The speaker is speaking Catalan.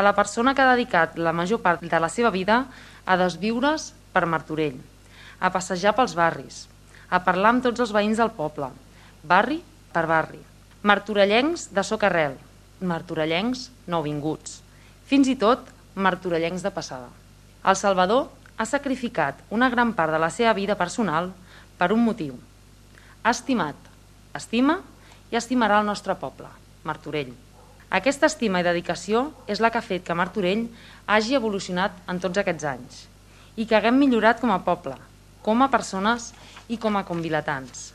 a la persona que ha dedicat la major part de la seva vida a desviure's per Martorell, a passejar pels barris, a parlar amb tots els veïns del poble, barri per barri. Martorellencs de socarrel, martorellencs nouvinguts, fins i tot martorellencs de passada. El Salvador ha sacrificat una gran part de la seva vida personal per un motiu. Ha estimat, estima i estimarà el nostre poble, Martorell. Aquesta estima i dedicació és la que ha fet que Martorell hagi evolucionat en tots aquests anys i que haguem millorat com a poble, com a persones i com a convilatans.